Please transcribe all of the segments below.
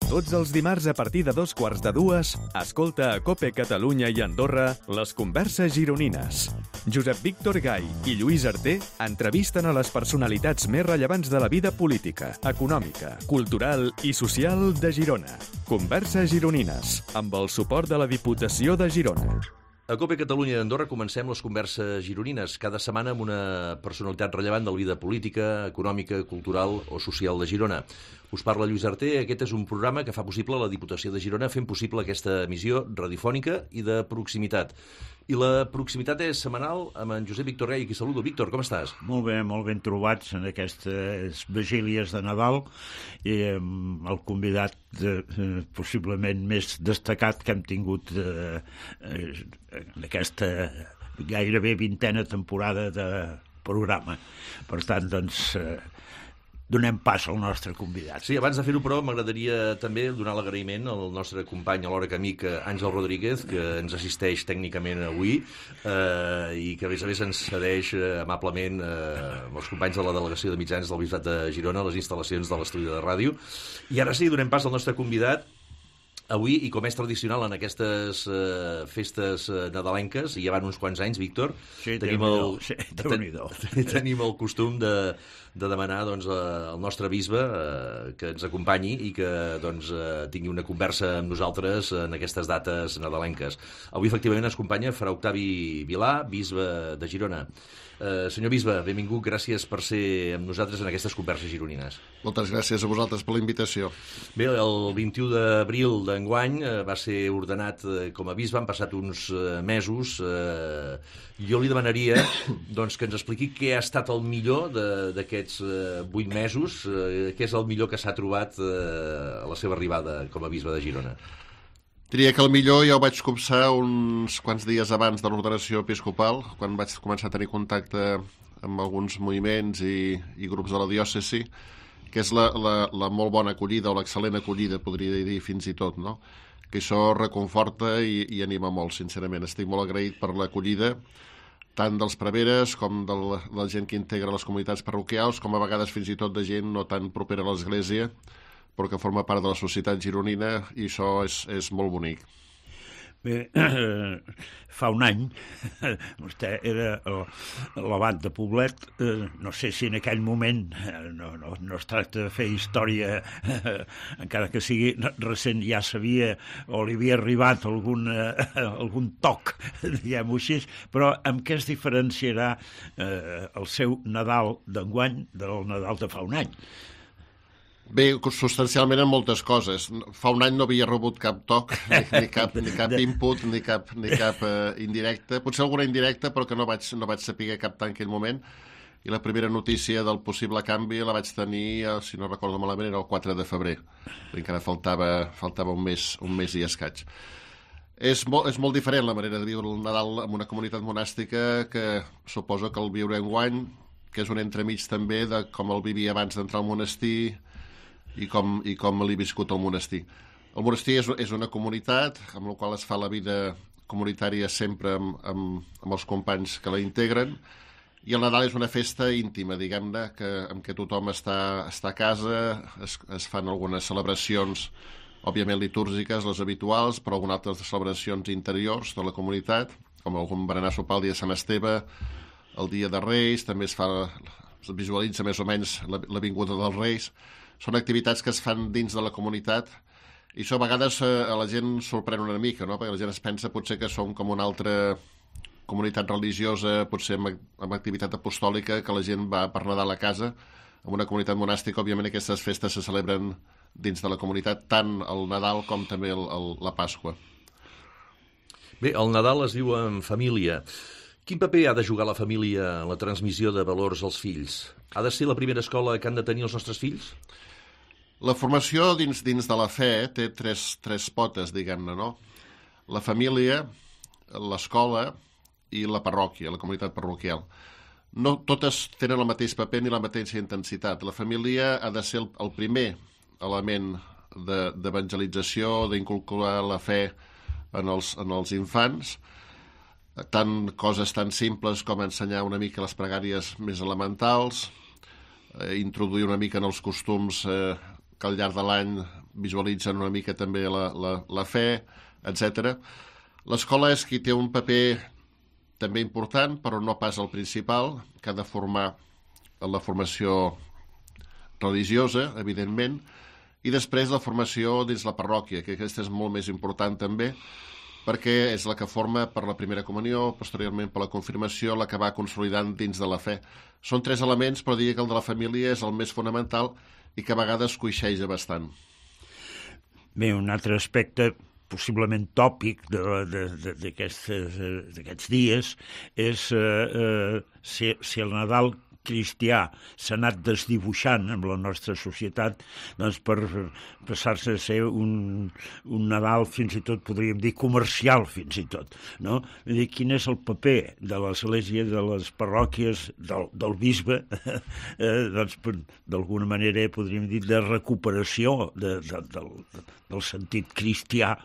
Tots els dimarts a partir de 2:15, escolta a COPE Catalunya i Andorra les converses gironines. Josep Víctor Gai i Lluís Arter entrevisten a les personalitats més rellevants de la vida política, econòmica, cultural i social de Girona. Converses gironines, amb el suport de la Diputació de Girona. A COPE Catalunya i Andorra comencem les converses gironines, cada setmana amb una personalitat rellevant de la vida política, econòmica, cultural o social de Girona. Us parla Lluís Arter. Aquest és un programa que fa possible la Diputació de Girona, fent possible aquesta emissió radiofònica i de proximitat. I la proximitat és setmanal amb en Josep Víctor Gai, qui saludo. Víctor, com estàs? Molt ben trobats en aquestes vigílies de Nadal i amb el convidat possiblement més destacat que hem tingut en aquesta gairebé 20a temporada de programa. Per tant, doncs, donem pas al nostre convidat. Sí, abans de fer-ho, però, m'agradaria també donar l'agraïment al nostre company, alhora que amic, Àngel Rodríguez, que ens assisteix tècnicament avui i que, a més, ens cedeix amablement amb els companys de la Delegació de Mitjans del Bisbat de Girona les instal·lacions de l'estudi de ràdio. I ara sí, donem pas al nostre convidat. Avui, i com és tradicional en aquestes festes nadalenques, i ja van uns quants anys, Víctor, tenim el costum de demanar al nostre bisbe que ens acompanyi i que tingui una conversa amb nosaltres en aquestes dates nadalenques. Avui, efectivament, ens acompanya Fra Octavi Vilà, bisbe de Girona. Senyor bisbe, benvingut, gràcies per ser amb nosaltres en aquestes converses gironines. Moltes gràcies a vosaltres per la invitació. Bé, el 21 d'abril d'enguany va ser ordenat com a bisbe, han passat uns mesos. Jo li demanaria que ens expliqui què ha estat el millor d'aquests 8 mesos, què és el millor que s'ha trobat a la seva arribada com a bisbe de Girona. Diria que el millor ja ho vaig copsar uns quants dies abans de l'ordenació episcopal, quan vaig començar a tenir contacte amb alguns moviments i grups de la diòcesi, que és la molt bona acollida, o l'excel·lent acollida, podria dir fins i tot, no? Que això reconforta i anima molt, sincerament. Estic molt agraït per l'acollida, tant dels preveres com de la gent que integra les comunitats parroquials, com a vegades fins i tot de gent no tan propera a l'Església, però que forma part de la societat gironina, i això és molt bonic. Bé, fa un any, vostè era l'abat de Poblet. No sé si en aquell moment, no es tracta de fer història, encara que sigui recent, ja sabia o li havia arribat algun toc, diguem-ho així, però amb què es diferenciarà el seu Nadal d'enguany del Nadal de fa un any? Bé, substancialment en moltes coses. Fa un any no havia rebut cap toc, ni cap input, ni cap indirecte. Potser alguna indirecta, però que no vaig saber cap en aquell moment. I la primera notícia del possible canvi la vaig tenir, si no recordo malament, era el 4 de febrer. Encara faltava un mes i escaig. És molt diferent la manera de viure el Nadal en una comunitat monàstica, que suposo que el viure enguany, que és un entremig també de com el vivia abans d'entrar al monestir, i com l'he viscut al monestir. El monestir és una comunitat amb la qual es fa la vida comunitària sempre amb els companys que la integren, i el Nadal és una festa íntima, diguem-ne, en què tothom està a casa, es fan algunes celebracions, òbviament litúrgiques, les habituals, però algunes altres celebracions interiors de la comunitat, com algun berenar sopar el dia de Sant Esteve, el dia de Reis, també es visualitza més o menys la vinguda dels Reis. Són activitats que es fan dins de la comunitat, i això a vegades a la gent sorprèn una mica, no? Perquè la gent es pensa potser que som com una altra comunitat religiosa, potser amb activitat apostòlica, que la gent va per Nadal a casa. En una comunitat monàstica, òbviament, aquestes festes se celebren dins de la comunitat, tant el Nadal com també la Pasqua. Bé, el Nadal es viu en família. Quin paper ha de jugar la família en la transmissió de valors als fills? Ha de ser la primera escola que han de tenir els nostres fills? La formació dins de la fe té tres potes, diguem-ne, no? La família, l'escola i la parròquia, la comunitat parroquial. No totes tenen el mateix paper ni la mateixa intensitat. La família ha de ser el primer element d'evangelització, d'inculcar la fe en els infants, tant coses tan simples com ensenyar una mica les pregàries més elementals, introduir una mica en els costums que al llarg de l'any visualitzen una mica també la fe, etc. L'escola és qui té un paper també important, però no pas el principal, que ha de formar en la formació religiosa, evidentment, i després la formació dins la parròquia, que aquesta és molt més important també, perquè és la que forma per la primera comunió, posteriorment per la confirmació, la que va consolidant dins de la fe. Són 3 elements, però diria que el de la família és el més fonamental i que a vegades coixeja bastant. Bé, un altre aspecte possiblement tòpic d'aquests dies és si el Nadal cristià s'ha anat desdibuixant amb la nostra societat, doncs per passar-se a ser un Nadal fins i tot, podríem dir, comercial fins i tot, no? Vull dir, quin és el paper de l'Església, de les parròquies, del bisbe, doncs d'alguna manera podríem dir de recuperació del sentit cristià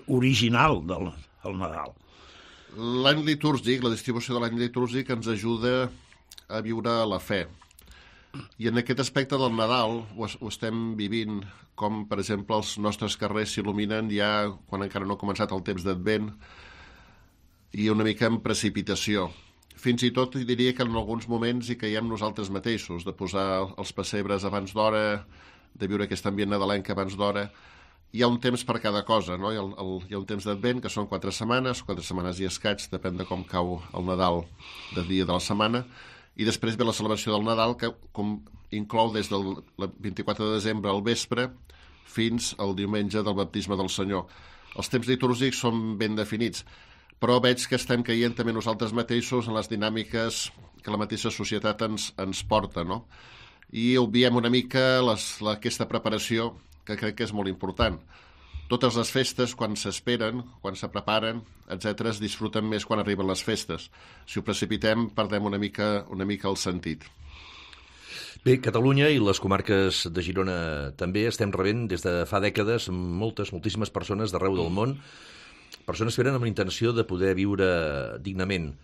original del Nadal. L'any litúrgic, la distribució de l'any litúrgic ens ajuda a viure la fe. I en aquest aspecte del Nadal ho estem vivint, com per exemple els nostres carrers s'il·luminen ja quan encara no ha començat el temps d'Advent i una mica en precipitació. Fins i tot diria que en alguns moments hi caiem nosaltres mateixos, de posar els pessebres abans d'hora, de viure aquest ambient nadalenc abans d'hora. Hi ha un temps per cada cosa, no? Hi ha un temps d'Advent, que són 4 setmanes i escaig, depèn de com cau el Nadal de dia de la setmana, i després ve la celebració del Nadal, que inclou des del 24 de desembre al vespre fins al diumenge del baptisme del Senyor. Els temps litúrgics són ben definits, però veig que estem caient també nosaltres mateixos en les dinàmiques que la mateixa societat ens porta, no? I obviem una mica aquesta preparació, que crec que és molt important. Totes les festes, quan s'esperen, quan se preparen, etc., es disfruten més quan arriben les festes. Si ho precipitem, perdem una mica el sentit. Bé, Catalunya i les comarques de Girona també estem rebent des de fa dècades moltíssimes persones d'arreu del món, persones que venen amb la intenció de poder viure dignament.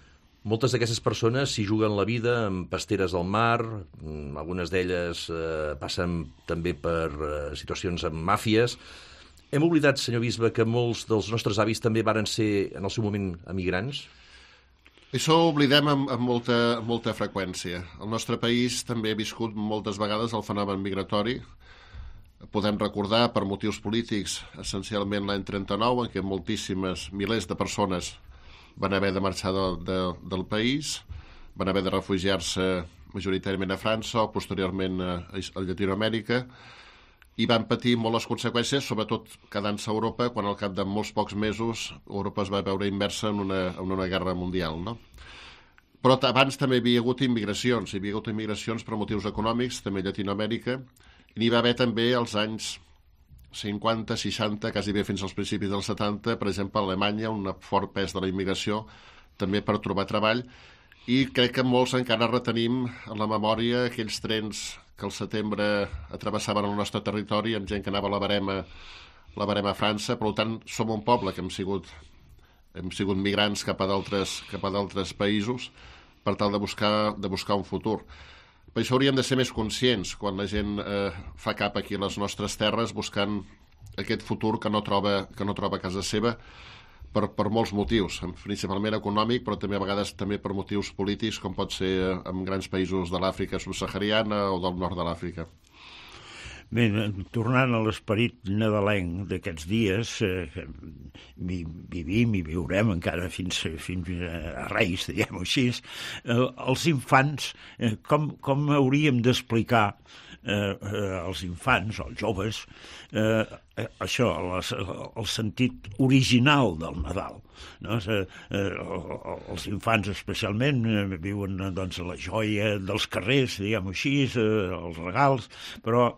Moltes d'aquestes persones s'hi juguen la vida amb pasteres al mar, algunes d'elles passen també per situacions amb màfies. Hem oblidat, senyor bisbe, que molts dels nostres avis també varen ser, en el seu moment, emigrants? Això ho oblidem amb molta freqüència. El nostre país també ha viscut moltes vegades el fenomen migratori. Podem recordar, per motius polítics, essencialment l'any 39, en què moltíssimes, milers de persones van haver de marxar del país, van haver de refugiar-se majoritàriament a França o posteriorment a Llatinoamèrica, i van patir molt les conseqüències, sobretot quedant-se a Europa, quan al cap de molts pocs mesos Europa es va veure immersa en una guerra mundial, no? Però abans també hi havia hagut immigracions per motius econòmics, també a Llatinoamèrica, i n'hi va haver també als anys 50, 60, quasi bé fins als principis dels 70, per exemple, a Alemanya, un fort pes de la immigració, també per trobar treball, i crec que molts encara retenim en la memòria aquells trens que al setembre travessaven el nostre territori amb gent que anava a la Barema a França. Per tant, som un poble que hem sigut migrants cap a d'altres països per tal de buscar un futur. Per això hauríem de ser més conscients quan la gent fa cap aquí a les nostres terres buscant aquest futur que no troba a casa seva per molts motius, principalment econòmic, però també a vegades també per motius polítics, com pot ser en grans països de l'Àfrica subsahariana o del nord de l'Àfrica. Bé, tornant a l'esperit nadalenc d'aquests dies, vivim i viurem encara fins a Reis, diguem-ho així, els infants, com hauríem d'explicar als infants, als joves, això, el sentit original del Nadal, no? Els infants especialment viuen doncs la joia dels carrers, diguem-ho així, els regals, però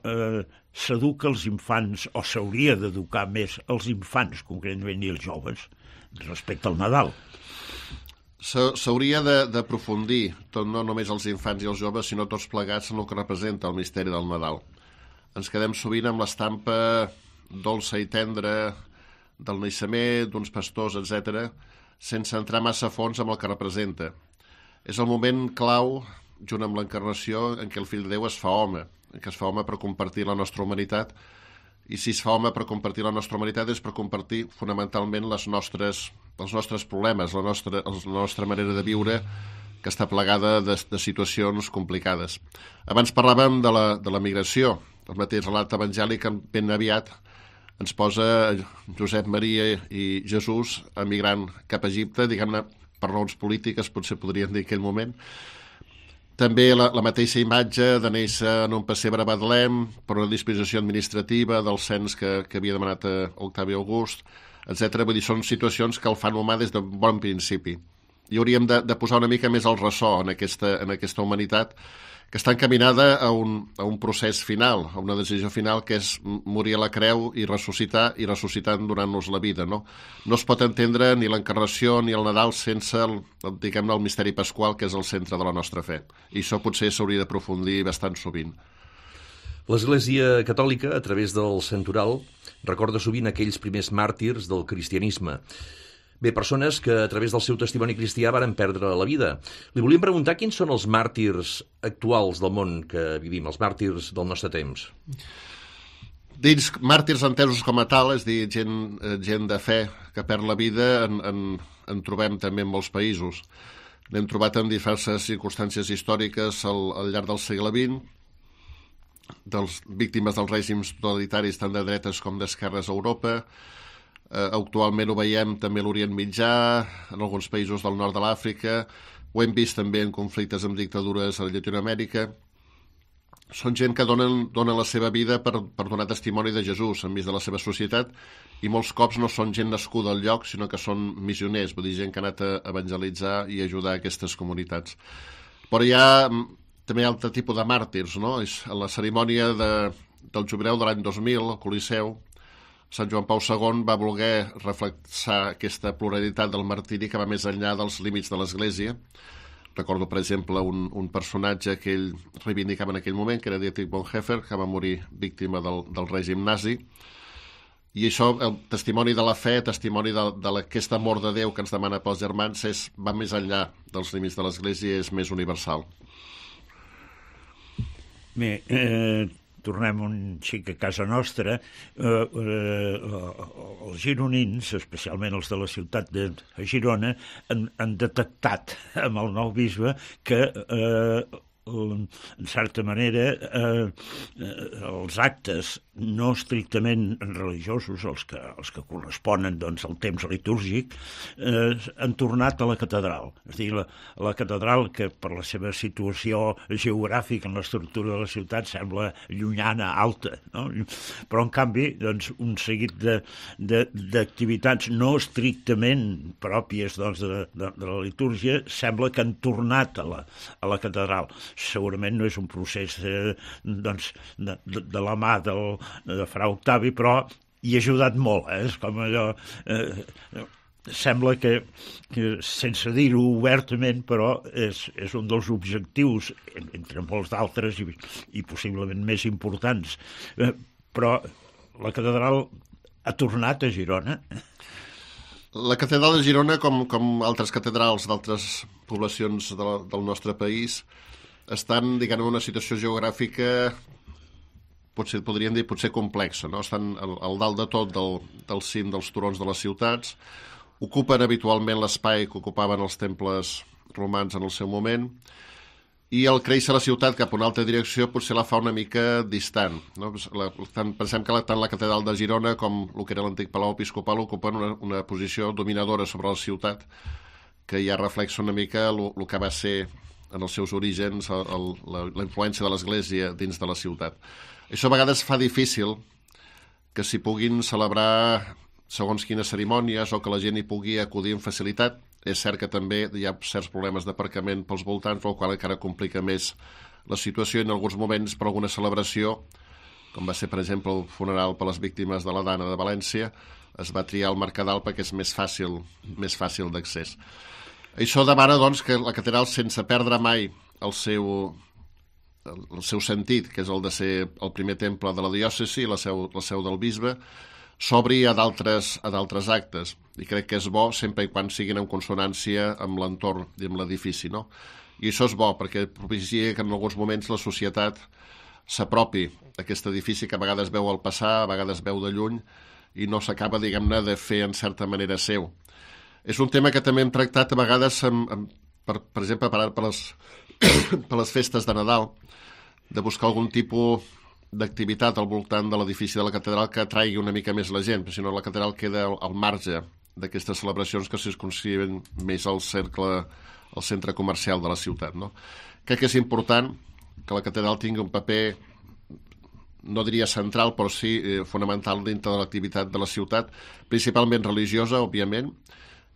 s'educa els infants, o s'hauria d'educar més els infants, concretament, i els joves, respecte al Nadal. S'hauria d'aprofundir, no només els infants i els joves, sinó tots plegats en el que representa el misteri del Nadal. Ens quedem sovint amb l'estampa dolça i tendra del naixement, d'uns pastors, etc., sense entrar massa a fons amb el que representa. És el moment clau, junt amb l'encarnació, en què el fill de Déu es fa home, en què es fa home per compartir la nostra humanitat i si es fa home per compartir la nostra humanitat és per compartir fonamentalment els nostres problemes, la nostra manera de viure, que està plegada de situacions complicades. Abans parlàvem de la migració. El mateix relat evangèlic ben aviat ens posa Josep Maria i Jesús emigrant cap a Egipte, diguem-ne, per raons polítiques, potser podríem dir en aquell moment. També la mateixa imatge de néixer en un pessebre a Betlem per una disposició administrativa del cens que havia demanat Octavi August, etc. Vull dir, són situacions que el fan humà des d'un bon principi. I hauríem de posar una mica més el ressò en aquesta humanitat que està encaminada a un procés final, a una decisió final, que és morir a la creu i ressuscitar, i ressuscitant donant-nos la vida. No es pot entendre ni l'encarnació ni el Nadal sense el misteri pasqual, que és el centre de la nostra fe. I això potser s'hauria d'aprofundir bastant sovint. L'Església Catòlica, a través del santoral, recorda sovint aquells primers màrtirs del cristianisme. Bé, persones que a través del seu testimoni cristià varen perdre la vida. Li volíem preguntar quins són els màrtirs actuals del món que vivim, els màrtirs del nostre temps. Dins màrtirs entesos com a tal, és dir, gent de fe que perd la vida, en trobem també en molts països. N'hem trobat en diverses circumstàncies històriques al llarg del segle XX, víctimes dels règims totalitaris tant de dretes com d'esquerres a Europa. Actualment ho veiem també a l'Orient Mitjà, en alguns països del nord de l'Àfrica, ho hem vist també en conflictes amb dictadures a Llatinoamèrica. Són gent que donen la seva vida per donar testimoni de Jesús enmig de la seva societat, i molts cops no són gent nascuda al lloc, sinó que són missioners, vull dir, gent que ha anat a evangelitzar i ajudar aquestes comunitats. Però també hi ha altre tipus de màrtirs, no? A la cerimònia del jubileu de l'any 2000, al Coliseu, Sant Joan Pau II va voler reflexar aquesta pluralitat del martiri que va més enllà dels límits de l'Església. Recordo, per exemple, un personatge que ell reivindicava en aquell moment, que era Dietrich Bonhoeffer, que va morir víctima del règim nazi. I això, el testimoni de la fe, testimoni d'aquest amor de Déu que ens demana pels germans, va més enllà dels límits de l'Església i és més universal. Bé, tornem un xic a casa nostra. Els gironins, especialment els de la ciutat de Girona, han detectat amb el nou bisbe que en certa manera els actes no estrictament religiosos, els que corresponen doncs, al temps litúrgic, han tornat a la catedral. És a dir, la catedral, que per la seva situació geogràfica en l'estructura de la ciutat sembla llunyana, alta, no? Però en canvi doncs, un seguit d'activitats no estrictament pròpies doncs, de la litúrgia sembla que han tornat a la catedral. Segurament no és un procés doncs, de la mà de Fra Octavi, però hi ha ajudat molt. És com allò... Sembla que sense dir-ho obertament, però és un dels objectius, entre molts d'altres i possiblement més importants. Però la catedral ha tornat a Girona. La catedral de Girona, com altres catedrals d'altres poblacions del nostre país, estan, diguem, en una situació geogràfica, podríem dir, potser complexa, no? Estan al dalt de tot del cim dels turons de les ciutats, ocupen habitualment l'espai que ocupaven els temples romans en el seu moment, i el créixer la ciutat cap a una altra direcció potser la fa una mica distant, no? Pensem que tant la catedral de Girona com el que era l'antic Palau Episcopal ocupen una posició dominadora sobre la ciutat, que ja reflexa una mica el que va ser en els seus orígens la influència de l'Església dins de la ciutat. Això a vegades fa difícil que s'hi puguin celebrar segons quines cerimònies o que la gent hi pugui acudir amb facilitat. És cert que també hi ha certs problemes d'aparcament pels voltants, el qual encara complica més la situació, i en alguns moments per alguna celebració, com va ser per exemple el funeral per les víctimes de la Dana de València, es va triar el Mercadal perquè és més fàcil d'accés. Això demana, doncs, que la catedral, sense perdre mai el seu sentit, que és el de ser el primer temple de la diòcesi, la seu del bisbe, s'obri a d'altres actes. I crec que és bo sempre i quan siguin en consonància amb l'entorn i amb l'edifici, no? I això és bo, perquè propicia que en alguns moments la societat s'apropi a aquest edifici que a vegades veu al passar, a vegades veu de lluny i no s'acaba, diguem-ne, de fer en certa manera seu. És un tema que també hem tractat a vegades, per exemple, per les festes de Nadal, de buscar algun tipus d'activitat al voltant de l'edifici de la catedral que atraigui una mica més la gent, perquè si no la catedral queda al marge d'aquestes celebracions que es consideren més al centre comercial de la ciutat, no? Crec que és important que la catedral tingui un paper, no diria central, però sí fonamental dintre de l'activitat de la ciutat, principalment religiosa, òbviament,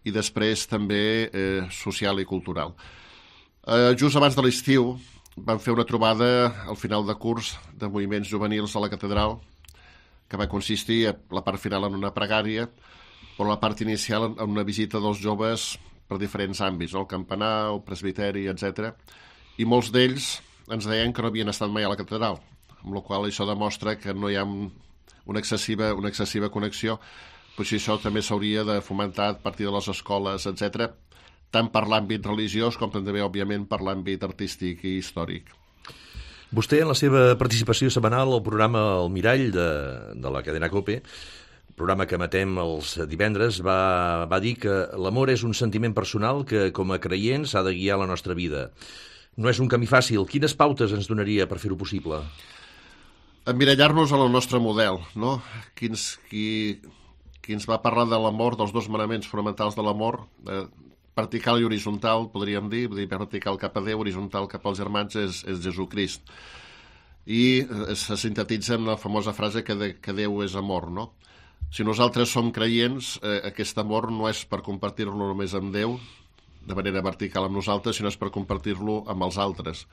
i després també social i cultural. Just abans de l'estiu vam fer una trobada al final de curs de moviments juvenils a la catedral que va consistir a la part final en una pregària, però la part inicial en una visita dels joves per diferents àmbits, el campanar, el presbiteri, etc. I molts d'ells ens deien que no havien estat mai a la catedral, amb la qual això demostra que no hi ha una excessiva connexió. Potser això també s'hauria de fomentar a partir de les escoles, etc., tant per l'àmbit religiós com també, òbviament, per l'àmbit artístic i històric. Vostè, en la seva participació setmanal al programa El Mirall de la cadena COPE, programa que emetem els divendres, va dir que l'amor és un sentiment personal que, com a creients, ha de guiar la nostra vida. No és un camí fàcil. Quines pautes ens donaria per fer-ho possible? Emmirallar-nos en el nostre model, no? Qui ens va parlar de l'amor, dels dos manaments fonamentals de l'amor, vertical i horitzontal, podríem dir, vertical cap a Déu, horitzontal cap als germans, és Jesucrist. I se sintetitza en la famosa frase que Déu és amor, no? Si nosaltres som creients, aquest amor no és per compartir-lo només amb Déu, de manera vertical amb nosaltres, sinó és per compartir-lo amb els altres.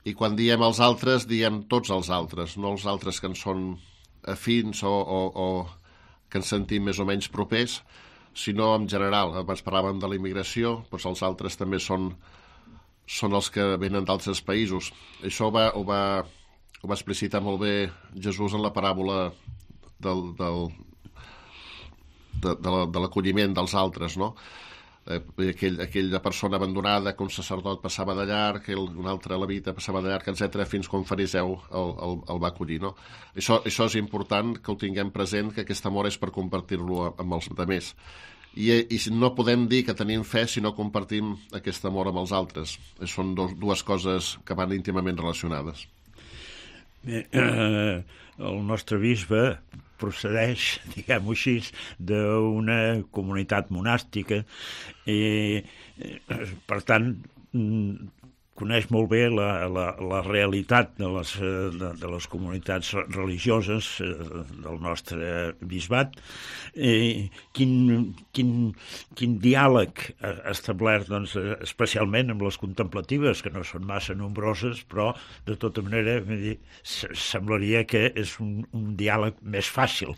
I quan diem els altres, diem tots els altres, no els altres que ens són afins o que ens sentim més o menys propers, sinó en general. Abans parlàvem de la immigració, doncs els altres també són els que venen d'altres països. Això ho va explicitar molt bé Jesús en la paràbola de l'acolliment dels altres, no? Aquella persona abandonada que un sacerdot passava de llarg, que un altre levita passava de llarg, etc., fins que un fariseu el va acollir, no? Això és important que ho tinguem present, que aquest amor és per compartir-lo amb els altres. I no podem dir que tenim fe si no compartim aquest amor amb els altres. Són dues coses que van íntimament relacionades. Bé, el nostre bisbe procedeix, diguem-ho així, d'una comunitat monàstica i, per tant, coneix molt bé la realitat de les comunitats religioses del nostre bisbat. Quin diàleg ha establert, doncs, especialment amb les contemplatives, que no són massa nombroses, però de tota manera semblaria que és un diàleg més fàcil.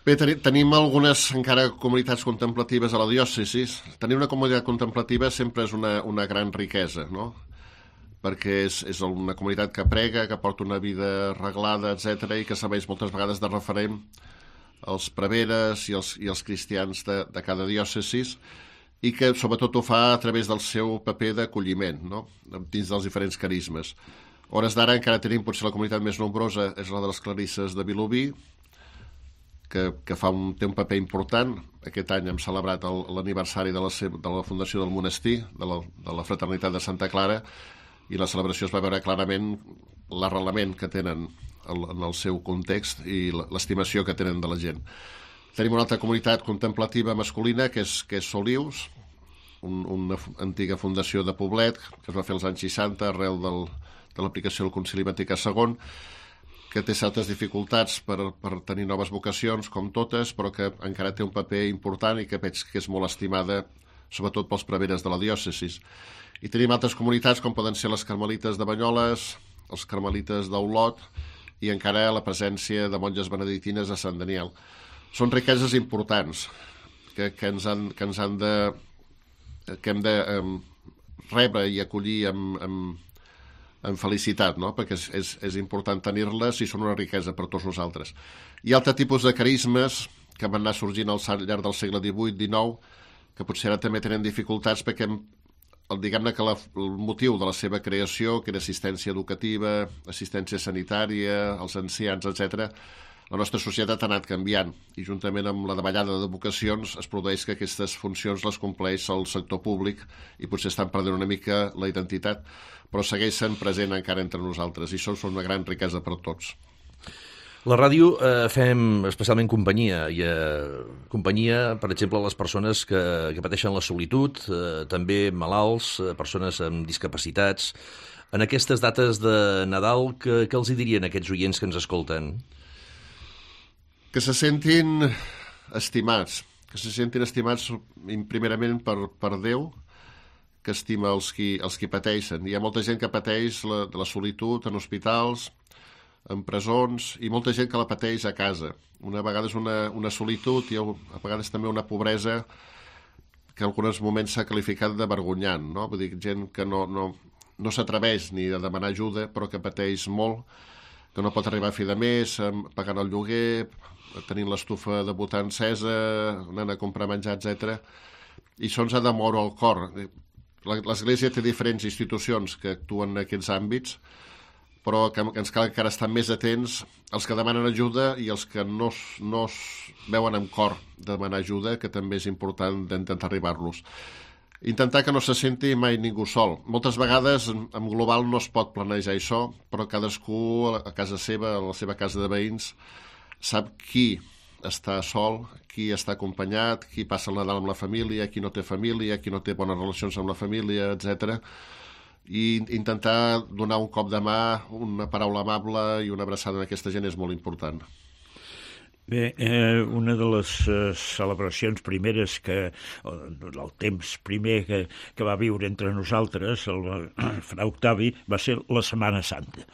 Bé, tenim algunes encara comunitats contemplatives a la diòcesi. Tenir una comunitat contemplativa sempre és una gran riquesa, no? Perquè és una comunitat que prega, que porta una vida reglada, etc., i que serveix moltes vegades de referent als preveres i els cristians de cada diòcesi, i que sobretot ho fa a través del seu paper d'acolliment, no? Dins dels diferents carismes. A hores d'ara encara tenim potser la comunitat més nombrosa, és la de les clarisses de Vilobí, que té un paper important. Aquest any hem celebrat l'aniversari de la fundació del monestir, de la fraternitat de Santa Clara, i la celebració es va veure clarament l'arrelament que tenen en el seu context i l'estimació que tenen de la gent. Tenim una altra comunitat contemplativa masculina, que és Solius, una antiga fundació de Poblet, que es va fer als anys 60 arrel de l'aplicació del Concili Vaticà II, que té certes dificultats per tenir noves vocacions, com totes, però que encara té un paper important i que veig que és molt estimada, sobretot pels preveres de la diòcesi. I tenim altres comunitats, com poden ser les carmelites de Banyoles, els carmelites d'Olot, i encara la presència de monges benedictines a Sant Daniel. Són riqueses importants que hem de rebre i acollir amb felicitat, no? Perquè és important tenir-les i són una riquesa per tots nosaltres. Hi ha altre tipus de carismes que van anar sorgint al llarg del segle XVIII-XIX, que potser ara també tenen dificultats perquè diguem-ne que el motiu de la seva creació, que era assistència educativa, assistència sanitària, els ancians, etc., la nostra societat ha anat canviant i juntament amb la davallada de vocacions es produeix que aquestes funcions les compleix el sector públic i potser estan perdent una mica la identitat, però segueixen present encara entre nosaltres i són una gran riquesa per a tots. La ràdio fem especialment companyia, companyia, per exemple, a les persones que pateixen la solitud, també malalts, persones amb discapacitats. En aquestes dates de Nadal, què els dirien a aquests oients que ens escolten? Que se sentin estimats primerament per Déu, que estima els qui pateixen. Hi ha molta gent que pateix la solitud en hospitals, en presons, i molta gent que la pateix a casa. Una vegada és una solitud i a vegades també una pobresa que en alguns moments s'ha qualificat de vergonyant, no? Vull dir, gent que no s'atreveix ni a demanar ajuda, però que pateix molt, que no pot arribar a fi de mes, pagant el lloguer, tenint l'estufa de butà encesa, anant a comprar menjar, etc. I això ens ha de moure el cor. L'Església té diferents institucions que actuen en aquests àmbits, però que ens cal encara estar més atents als que demanen ajuda i els que no es veuen amb cor de demanar ajuda, que també és important d'intentar arribar-los. Intentar que no se senti mai ningú sol. Moltes vegades, en global, no es pot planejar això, però cadascú a casa seva, a la seva casa de veïns, sap qui està sol, qui està acompanyat, qui passa el Nadal amb la família, qui no té família, qui no té bones relacions amb la família, etc. I intentar donar un cop de mà, una paraula amable i una abraçada a aquesta gent és molt important. Bé, una de les celebracions primeres el temps primer que va viure entre nosaltres, el Fra Octavi, va ser la Setmana Santa.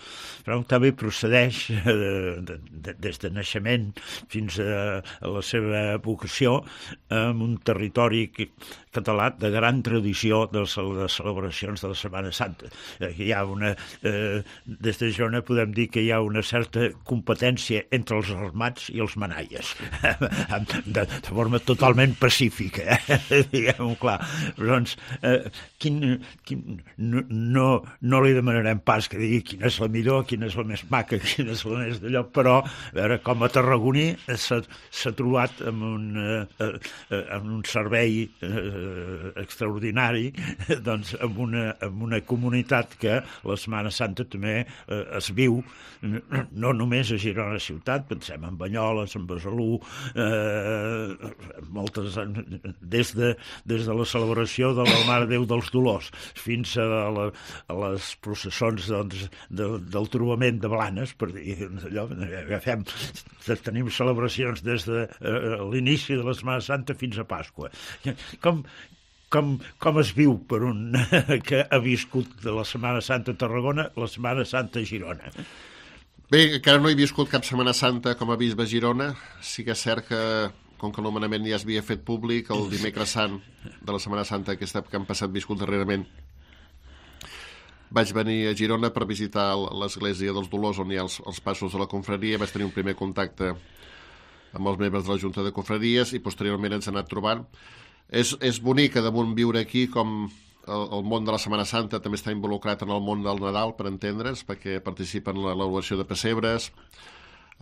Fra Octavi procedeix des de naixement fins a la seva vocació en un territori català de gran tradició de celebracions de la Setmana Santa. Hi ha des de Girona podem dir que hi ha una certa competència entre els armats i els manaies, de forma totalment pacífica, diguem-ho clar. Doncs, no li demanarem pas que digui quina és la millor, quina és la més maca, quina és la més d'allò, però a veure, com a tarragoní s'ha trobat amb un servei extraordinari, doncs amb una comunitat que la Setmana Santa també es viu, no només a Girona ciutat, pensem en Banyoles, en Besalú, moltes, des de la celebració de la Mare de Déu dels Dolors fins a les processons del trobament de Blanes, per dir allò, tenim celebracions des de l'inici de la Setmana Santa fins a Pasqua. Com es viu per un que ha viscut de la Setmana Santa a Tarragona la Setmana Santa a Girona? Bé, encara no he viscut cap Setmana Santa com a bisbe a Girona. Sí que és cert que, com que el nomenament ja es havia fet públic, el dimecres sant de la Setmana Santa que han passat viscut darrerament, vaig venir a Girona per visitar l'església dels Dolors, on hi ha els passos de la confraria. Vaig tenir un primer contacte amb els membres de la Junta de Confraries i posteriorment ens hem anat trobant. És bonic que damunt viure aquí com el món de la Setmana Santa també està involucrat en el món del Nadal, per entendre's, perquè participen en l'elaboració de pessebres,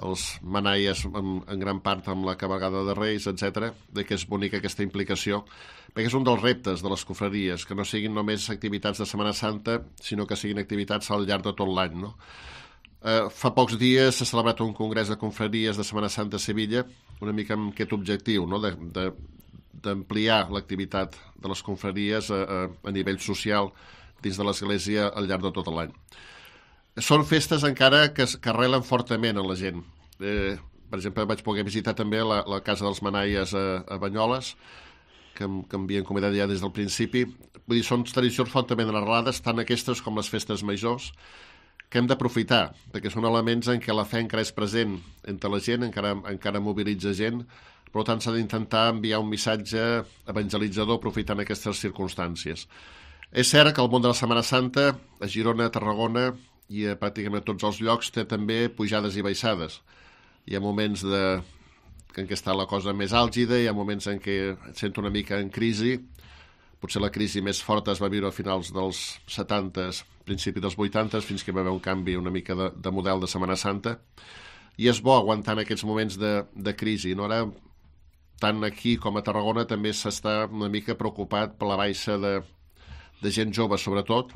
els manaies en gran part amb la cabalgada de Reis, etc. Que és bonica aquesta implicació, perquè és un dels reptes de les confraries, que no siguin només activitats de Setmana Santa, sinó que siguin activitats al llarg de tot l'any, no? Fa pocs dies s'ha celebrat un congrés de confraries de Setmana Santa a Sevilla, una mica amb aquest objectiu, no? D'ampliar l'activitat de les confraries a nivell social dins de l'Església al llarg de tot l'any. Són festes encara que arrelen fortament en la gent. Per exemple, vaig poder visitar també la Casa dels Manaies a Banyoles, que m'havien convidat ja des del principi. Vull dir, són tradicions fortament arrelades, tant aquestes com les festes majors, que hem d'aprofitar, perquè són elements en què la fe encara és present entre la gent, encara mobilitza gent. Per tant, s'ha d'intentar enviar un missatge evangelitzador aprofitant aquestes circumstàncies. És cert que el món de la Setmana Santa, a Girona, a Tarragona i a pràcticament tots els llocs, té també pujades i baixades. Hi ha moments en què està la cosa més àlgida, hi ha moments en què et sento una mica en crisi, Potser la crisi més forta es va viure a finals dels 70s, principi dels 80s, fins que hi va haver un canvi una mica de model de Setmana Santa. I és bo aguantar en aquests moments de crisi. No? Ara, tant aquí com a Tarragona, també s'està una mica preocupat per la baixa de gent jove, sobretot.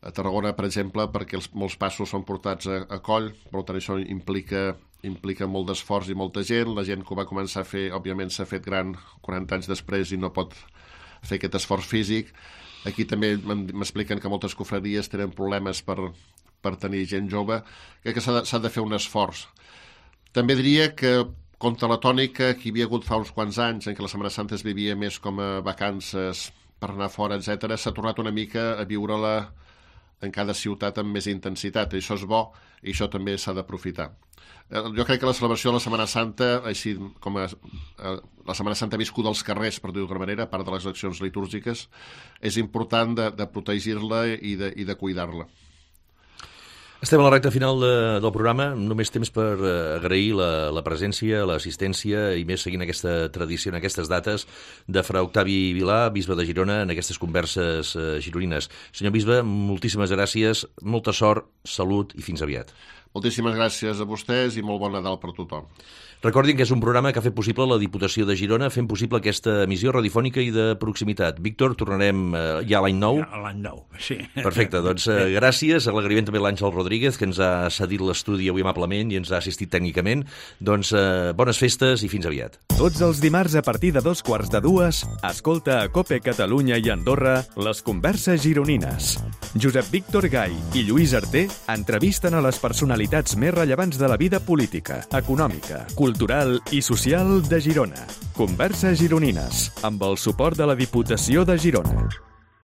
A Tarragona, per exemple, perquè molts passos són portats a coll, per tant això implica molt d'esforç i molta gent. La gent que ho va començar a fer, òbviament, s'ha fet gran 40 anys després i no pot fer aquest esforç físic. Aquí també m'expliquen que moltes cofreries tenen problemes per tenir gent jove. Crec que s'ha de fer un esforç. També diria que contra la tònica que hi havia hagut fa uns quants anys, en què la Setmana Santa es vivia més com a vacances per anar fora, etc., s'ha tornat una mica a viure-la en cada ciutat amb més intensitat. I això és bo i això també s'ha d'aprofitar. Jo crec que la celebració de la Setmana Santa, així com la Setmana Santa viscuda als carrers, per dir-ho d'alguna manera, a part de les accions litúrgiques, és important de protegir-la i de cuidar-la. Estem a la recta final del programa, només temps per agrair la presència, l'assistència i més seguint aquesta tradició en aquestes dates de Fra Octavi Vilà, bisbe de Girona, en aquestes converses gironines. Senyor bisbe, moltíssimes gràcies, molta sort, salut i fins aviat. Moltíssimes gràcies a vostès i molt bon Nadal per tothom. Recordin que és un programa que ha fet possible la Diputació de Girona, fent possible aquesta emissió radiofònica i de proximitat. Víctor, tornarem ja l'any nou? Ja, l'any nou, sí. Perfecte, doncs gràcies. L'agraïment també a l'Àngel Rodríguez, que ens ha cedit l'estudi avui amablement i ens ha assistit tècnicament. Doncs bones festes i fins aviat. Tots els dimarts a partir de 2:45, escolta a COPE Catalunya i Andorra les converses gironines. Josep Víctor Gai i Lluís Arter entrevisten a les personalitats més rellevants de la vida política, econòmica, cultural i social de Girona. Converses gironines, amb el suport de la Diputació de Girona.